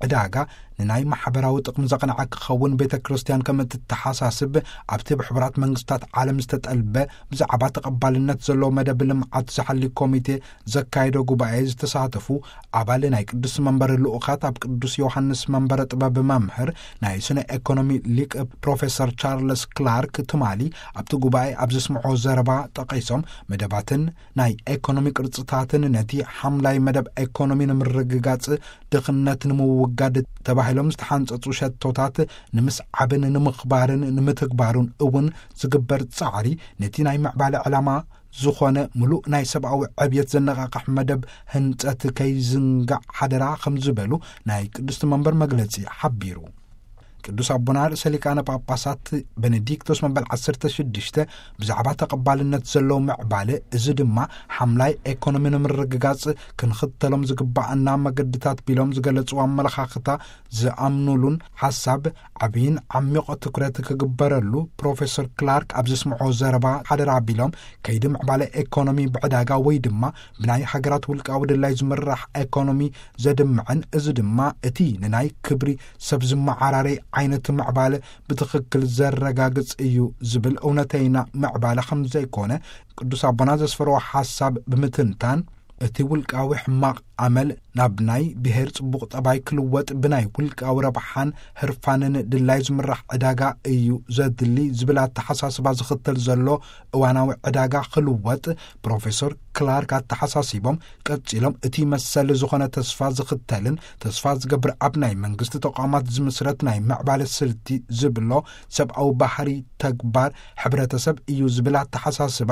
ዕዳጋ ንናይ ማሕበራዊ ጥቕሚ ዘቕንዐ ክኸውን ቤተ ክርስቲያን ከም እትተሓሳስብ፣ ኣብቲ ብሕቡራት መንግስታት ዓለም ዝተጠልበ ብዛዕባ ተቐባልነት ዘለዎ መደብ ልምዓት ዝሓሊ ኮሚቴ ዘካየዶ ጉባኤ ዝተሳተፉ ኣባል ናይ ቅዱስ መንበር ልኡኻት፣ ኣብ ቅዱስ ዮሃንስ መንበረ ጥበብ መምህር ናይ ስነ ኤኮኖሚ ሊቅ ፕሮፌሰር ቻርለስ ክላርክ ትማሊ ኣብቲ ጉባኤ ኣብ ዘስምዖ ዘረባ ጠቒሶም፣ መደባትን ናይ ኤኮኖሚ ቅርጽታትን ነቲ ሓምላይ መደብ ኤኮኖሚ ንምርግጋጽ፣ ድኽነት ንምውጋድ ተባሂሎም ዝተሓንጸጹ ሸቶታት ንምስዓብን ንምኽባርን ንምትግባሩን እውን ዝግበር ጻዕሪ፣ ነቲ ናይ ምዕባለ ዕላማ ዝኾነ ምሉእ ናይ ሰብኣዊ ዕብየት ዘነቓቕሕ መደብ ህንጸት ከይዝንጋዕ ሓደራ ከም ዝበሉ ናይ ቅድስቲ መንበር መግለጺ ሓቢሩ። ቅዱስ ኣቦና ርእሰ ሊቃነ ጳጳሳት ቤኔዲክቶስ መበል ዓሰርተ ሽዱሽተ ብዛዕባ ተቐባልነት ዘለዎ ምዕባለ፣ እዚ ድማ ሓምላይ ኤኮኖሚ ንምርግጋጽ ክንኽተሎም ዝግባኣና መገድታት ቢሎም ዝገለጹ ኣመለኻኽታ ዝኣምኑሉን ሓሳብ ዓብይን ዓሚቕ ትኩረት ክግበረሉ ፕሮፌሰር ክላርክ ኣብ ዘስምዖ ዘረባ ሓደራ ቢሎም፣ ከይዲ ምዕባለ ኤኮኖሚ ብዕዳጋ ወይ ድማ ብናይ ሃገራት ውልቃዊ ድላይ ዝምራሕ ኤኮኖሚ ዘድምዕን፣ እዚ ድማ እቲ ንናይ ክብሪ ሰብ ዝመዓራረይ ዓይነት ምዕባለ ብትኽክል ዘረጋግጽ እዩ ዝብል እውነተይና ምዕባለ ከም ዘይኮነ ቅዱስ ኣቦና ዘስፈርዎ ሓሳብ ብምትንታን፣ እቲ ውልቃዊ ሕማቕ ኣመል ናብ ናይ ብሔር ጽቡቕ ጠባይ ክልወጥ ብናይ ውልቃዊ ረብሓን ህርፋንን ድላይ ዝምራሕ ዕዳጋ እዩ ዘድሊ ዝብል ኣተሓሳስባ ዝኽተል ዘሎ እዋናዊ ዕዳጋ ክልወጥ ፕሮፌሰር ክላርክ ኣተሓሳሲቦም፣ ቀጺሎም እቲ መሰል ዝኾነ ተስፋ ዝኽተልን ተስፋ ዝገብር ኣብ ናይ መንግስቲ ተቋማት ዝምስረት ናይ ምዕባለ ስልቲ ዝብሎ ሰብኣዊ ባህሪ ተግባር ሕብረተሰብ እዩ ዝብል ኣተሓሳስባ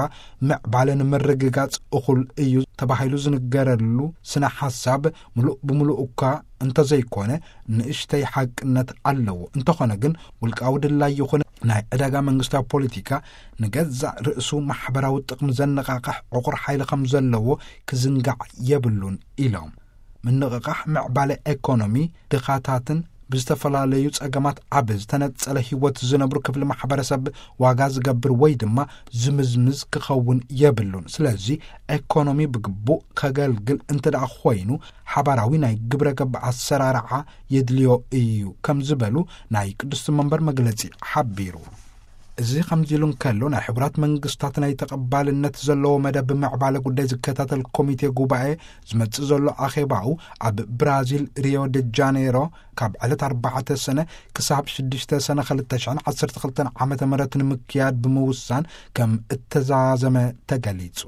ምዕባለ ንምርግጋጽ እኹል እዩ ተባሂሉ ዝንገረሉ ስነ ሓሳብ ምሉእ ብምሉእ እኳ እንተዘይኮነ ንእሽተይ ሓቅነት ኣለዎ። እንተኾነ ግን ውልቃዊ ድላይ ይኹን ናይ ዕዳጋ መንግስታዊ ፖለቲካ ንገዛእ ርእሱ ማሕበራዊ ጥቕሚ ዘነቓቕሕ ዕቑር ሓይሊ ከም ዘለዎ ክዝንጋዕ የብሉን ኢሎም። ምንቕቓሕ ምዕባለ ኤኮኖሚ ድኻታትን ብዝተፈላለዩ ጸገማት ኣብ ዝተነጸለ ህይወት ዝነብሩ ክፍሊ ማሕበረሰብ ዋጋ ዝገብር ወይ ድማ ዝምዝምዝ ክኸውን የብሉን። ስለዚ ኤኮኖሚ ብግቡእ ከገልግል እንተ ደኣ ኮይኑ ሓባራዊ ናይ ግብረ ገብ ኣሰራርዓ የድልዮ እዩ ከም ዝበሉ ናይ ቅድስቲ መንበር መግለጺ ሓቢሩ። እዚ ከምዚ ኢሉ እንከሎ፣ ናይ ሕቡራት መንግስታት ናይ ተቐባልነት ዘለዎ መደብ ምዕባለ ጉዳይ ዝከታተል ኮሚቴ ጉባኤ ዝመጽእ ዘሎ ኣኼባኡ ኣብ ብራዚል ሪዮ ደ ጃኔሮ ካብ ዕለት ኣርባዕተ ሰነ ክሳብ ሽዱሽተ ሰነ ክልተ ሽሕን ዓሰርተ ክልተን ዓመተ ምህረት ንምክያድ ብምውሳን ከም እተዛዘመ ተገሊጹ።